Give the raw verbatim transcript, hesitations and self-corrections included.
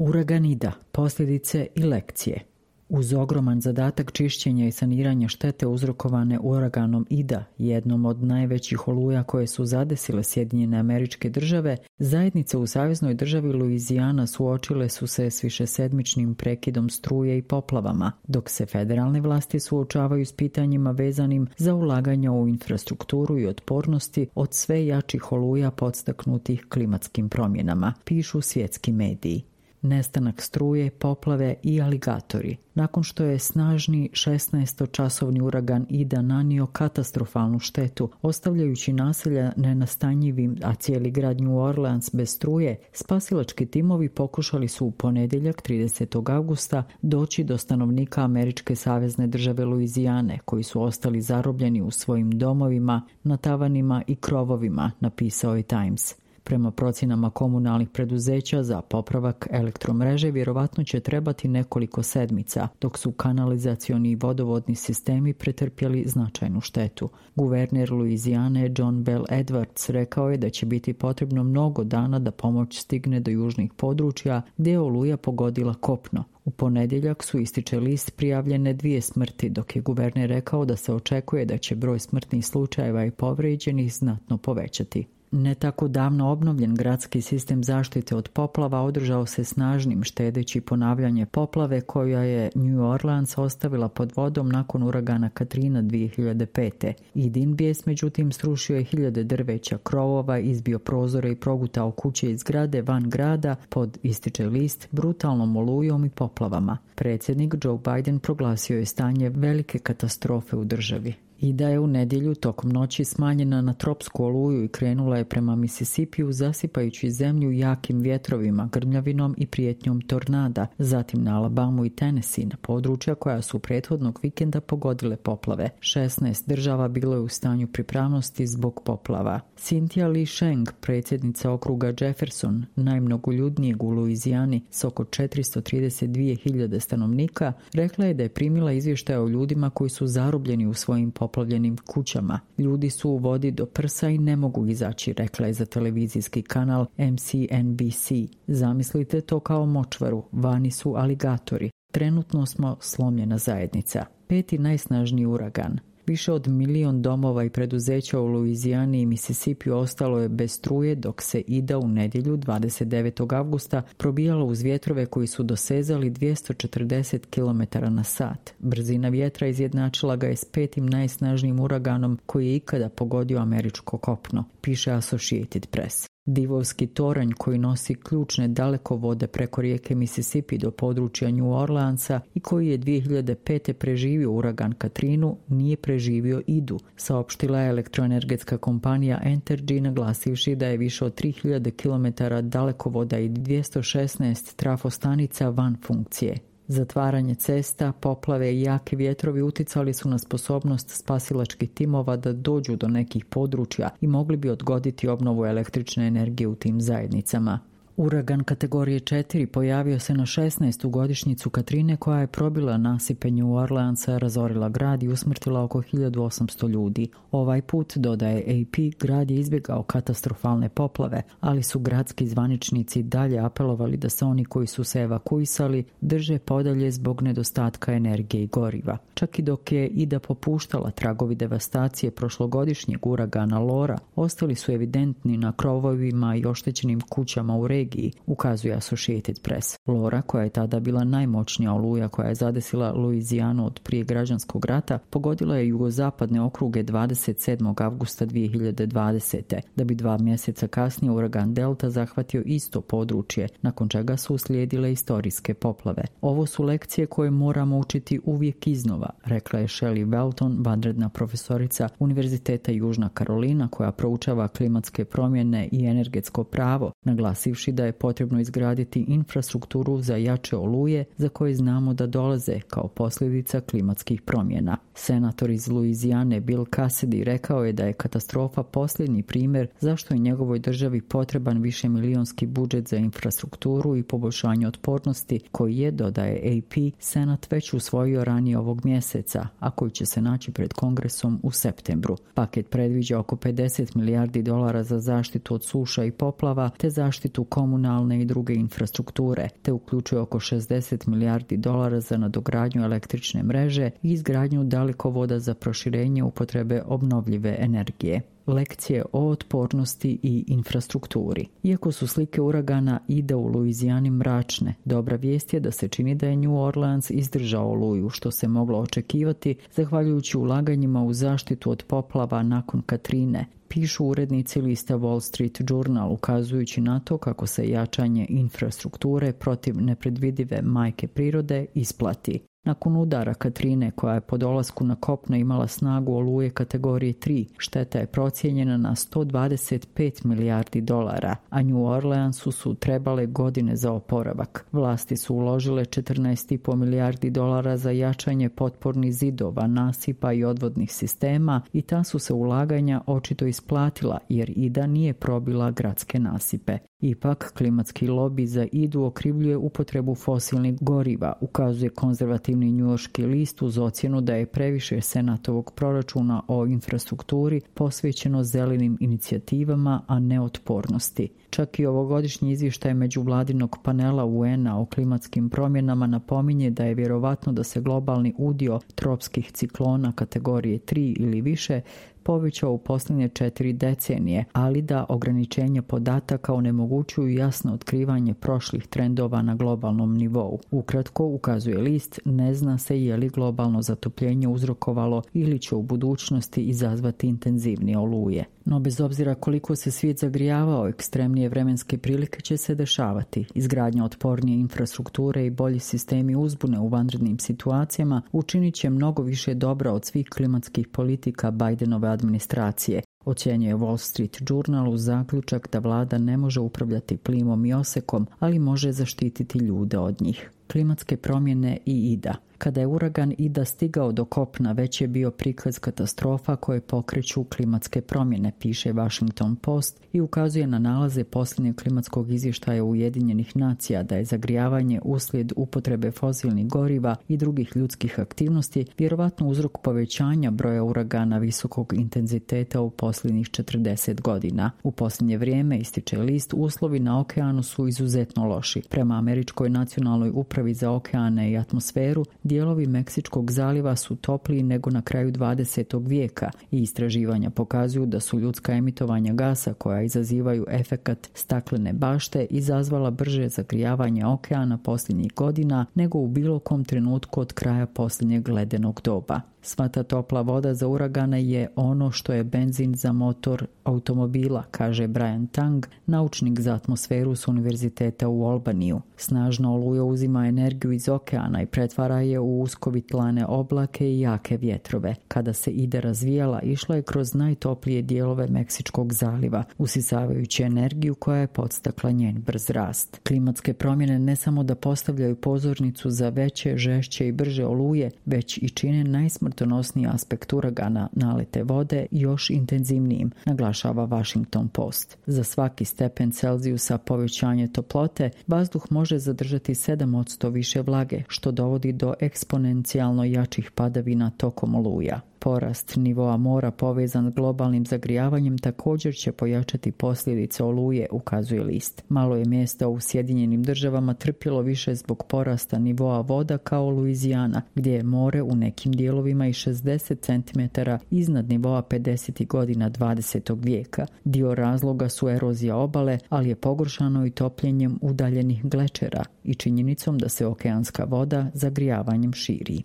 Uragan Ida, posljedice i lekcije. Uz ogroman zadatak čišćenja i saniranja štete uzrokovane uraganom Ida, jednom od najvećih oluja koje su zadesile Sjedinjene Američke Države, zajednice u saveznoj državi Luizijana suočile su se s višesedmičnim prekidom struje i poplavama, dok se federalne vlasti suočavaju s pitanjima vezanim za ulaganja u infrastrukturu i otpornosti od sve jačih oluja podstaknutih klimatskim promjenama, pišu svjetski mediji. Nestanak struje, poplave i aligatori. Nakon što je snažni šesnaestočasovni uragan Ida nanio katastrofalnu štetu, ostavljajući naselja nenastanjivim, a cijeli grad New Orleans bez struje, spasilački timovi pokušali su u ponedjeljak tridesetog avgusta doći do stanovnika Američke savezne države Luizijane, koji su ostali zarobljeni u svojim domovima, na tavanima i krovovima, napisao je Times. Prema procjenama komunalnih preduzeća za popravak elektromreže vjerovatno će trebati nekoliko sedmica, dok su kanalizacioni i vodovodni sistemi pretrpjeli značajnu štetu. Guverner Luizijane John Bell Edwards rekao je da će biti potrebno mnogo dana da pomoć stigne do južnih područja gdje je oluja pogodila kopno. U ponedjeljak su, ističe list, prijavljene dvije smrti, dok je guverner rekao da se očekuje da će broj smrtnih slučajeva i povrijeđenih znatno povećati. Ne tako davno obnovljen gradski sistem zaštite od poplava održao se snažnim, štedeći ponavljanje poplave koja je New Orleans ostavila pod vodom nakon uragana Katrina dvije hiljade pete. Idin bijes međutim srušio je hiljade drveća, krovova, izbio prozore i progutao kuće i zgrade van grada pod, ističe list, brutalnom olujom i poplavama. Predsjednik Joe Biden proglasio je stanje velike katastrofe u državi. Ida je u nedjelju tokom noći smanjena na tropsku oluju i krenula je prema Mississipiju, zasipajući zemlju jakim vjetrovima, grmljavinom i prijetnjom tornada, zatim na Alabamu i Tennessee, na područja koja su prethodnog vikenda pogodile poplave. šesnaest država bilo je u stanju pripravnosti zbog poplava. Cynthia Lee Sheng, predsjednica okruga Jefferson, najmnogoljudnijeg u Luizijani s oko četiristo trideset dvije hiljade stanovnika, rekla je da je primila izvještaje o ljudima koji su zarobljeni u svojim poplavljenim kućama. Ljudi su u vodi do prsa i ne mogu izaći, rekla je za televizijski kanal M C N B C. Zamislite to kao močvaru, vani su aligatori. Trenutno smo slomljena zajednica. Peti najsnažniji uragan. Više od milion domova i preduzeća u Luizijani i Mississippiju ostalo je bez struje, dok se Ida u nedjelju dvadeset devetog avgusta probijala uz vjetrove koji su dosezali dvjesto četrdeset kilometara na sat. Brzina vjetra izjednačila ga je s petim najsnažnijim uraganom koji je ikada pogodio američko kopno, piše Associated Press. Divovski toranj koji nosi ključne dalekovode preko rijeke Mississippi do područja New Orleansa i koji je dvije hiljade pete preživio uragan Katrinu, nije preživio Idu, saopštila je elektroenergetska kompanija Entergy, naglasivši da je više od tri hiljade kilometara dalekovoda i dvjesto šesnaest trafostanica van funkcije. Zatvaranje cesta, poplave i jaki vjetrovi uticali su na sposobnost spasilačkih timova da dođu do nekih područja i mogli bi odgoditi obnovu električne energije u tim zajednicama. Uragan kategorije četiri pojavio se na šesnaestu godišnjicu Katrine koja je probila nasipe New Orleansa, razorila grad i usmrtila oko hiljadu osamsto ljudi. Ovaj put, dodaje A P, grad je izbjegao katastrofalne poplave, ali su gradski zvaničnici dalje apelovali da se oni koji su se evakuisali drže podalje zbog nedostatka energije i goriva. Čak i dok je Ida popuštala, tragovi devastacije prošlogodišnjeg uragana Laura ostali su evidentni na krovovima i oštećenim kućama u regiji, ukazuje Associated Press. Laura, koja je tada bila najmoćnija oluja koja je zadesila Luizijanu od prije građanskog rata, pogodila je jugozapadne okruge dvadeset sedmog avgusta dvije hiljade dvadesete, da bi dva mjeseca kasnije uragan Delta zahvatio isto područje, nakon čega su uslijedile istorijske poplave. Ovo su lekcije koje moramo učiti uvijek iznova, rekla je Shelley Welton, vanredna profesorica Univerziteta Južna Karolina koja proučava klimatske promjene i energetsko pravo, naglasivši da je potrebno izgraditi infrastrukturu za jače oluje za koje znamo da dolaze kao posljedica klimatskih promjena. Senator iz Luizijane Bill Cassidy rekao je da je katastrofa posljednji primjer zašto je njegovoj državi potreban višemilijonski budžet za infrastrukturu i poboljšanje otpornosti koji je, dodaje A P, Senat već usvojio ranije ovog mjeseca, a koji će se naći pred Kongresom u septembru. Paket predviđa oko pedeset milijardi dolara za zaštitu od suša i poplava te zaštitu komunalne i druge infrastrukture, te uključuje oko šezdeset milijardi dolara za nadogradnju električne mreže i izgradnju dalekovoda za proširenje upotrebe obnovljive energije. Lekcije o otpornosti i infrastrukturi. Iako su slike uragana Ida u Luizijani mračne, dobra vijest je da se čini da je New Orleans izdržao oluju, što se moglo očekivati zahvaljujući ulaganjima u zaštitu od poplava nakon Katrine, pišu urednici lista Wall Street Journal, ukazujući na to kako se jačanje infrastrukture protiv nepredvidive majke prirode isplati. Nakon udara Katrine, koja je po dolasku na kopno imala snagu oluje kategorije tri, šteta je procijenjena na sto dvadeset pet milijardi dolara, a New Orleansu su trebale godine za oporavak. Vlasti su uložile četrnaest zarez pet milijardi dolara za jačanje potpornih zidova, nasipa i odvodnih sistema i ta su se ulaganja očito isplatila jer Ida nije probila gradske nasipe. Ipak, klimatski lobi za Idu okrivljuje upotrebu fosilnih goriva, ukazuje konzervativni njujorški list uz ocjenu da je previše senatovog proračuna o infrastrukturi posvećeno zelenim inicijativama, a ne otpornosti. Čak i ovogodišnji izvještaj međuvladinog panela U N-a o klimatskim promjenama napominje da je vjerovatno da se globalni udio tropskih ciklona kategorije tri ili više povećao u posljednje četiri decenije, ali da ograničenje podataka onemogućuju jasno otkrivanje prošlih trendova na globalnom nivou. Ukratko, ukazuje list, ne zna se je li globalno zatopljenje uzrokovalo ili će u budućnosti izazvati intenzivnije oluje. No bez obzira koliko se svijet zagrijavao, ekstremnije vremenske prilike će se dešavati. Izgradnja otpornije infrastrukture i bolji sistemi uzbune u vanrednim situacijama učinit će mnogo više dobra od svih klimatskih politika Bidenove administracije, ocjenjuje Wall Street Journal uz zaključak da vlada ne može upravljati plimom i osekom, ali može zaštititi ljude od njih. Klimatske promjene i Ida. Kada je uragan Ida stigao do kopna, već je bio prikaz katastrofa koje pokreću klimatske promjene, piše Washington Post i ukazuje na nalaze posljednjeg klimatskog izvještaja Ujedinjenih nacija da je zagrijavanje uslijed upotrebe fosilnih goriva i drugih ljudskih aktivnosti vjerovatno uzrok povećanja broja uragana visokog intenziteta u posljednjih četrdeset godina. U posljednje vrijeme, ističe list, uslovi na okeanu su izuzetno loši. Prema Američkoj nacionalnoj upravi za okeane i atmosferu, dijelovi Meksičkog zaliva su topliji nego na kraju dvadesetog vijeka i istraživanja pokazuju da su ljudska emitovanja gasa koja izazivaju efekat staklene bašte izazvala brže zagrijavanje okeana posljednjih godina nego u bilo kom trenutku od kraja posljednjeg ledenog doba. Sva ta topla voda za uragane je ono što je benzin za motor automobila, kaže Brian Tang, naučnik za atmosferu s univerziteta u Albaniju. Snažna oluja uzima energiju iz okeana i pretvara je u uskovitlane oblake i jake vjetrove. Kada se Ida razvijala, išla je kroz najtoplije dijelove Meksičkog zaliva, usisavajući energiju koja je podstakla njen brz rast. Klimatske promjene ne samo da postavljaju pozornicu za veće, žešće i brže oluje, već i čine najsmrtonosniji aspekt uragana, nalete vode, još intenzivnijim, naglašava Washington Post. Za svaki stepen Celzijusa povećanje toplote, vazduh može zadržati sedam posto više vlage, što dovodi do eksponencijalno jačih padavina tokom oluja. Porast nivoa mora povezan s globalnim zagrijavanjem također će pojačati posljedice oluje, ukazuje list. Malo je mjesta u Sjedinjenim državama trpjelo više zbog porasta nivoa voda kao Luizijana, gdje je more u nekim dijelovima i šezdeset centimetara iznad nivoa pedesetih godina dvadesetog vijeka. Dio razloga su erozija obale, ali je pogoršano i topljenjem udaljenih glečera i činjenicom da se okeanska voda zagrijavanjem širi.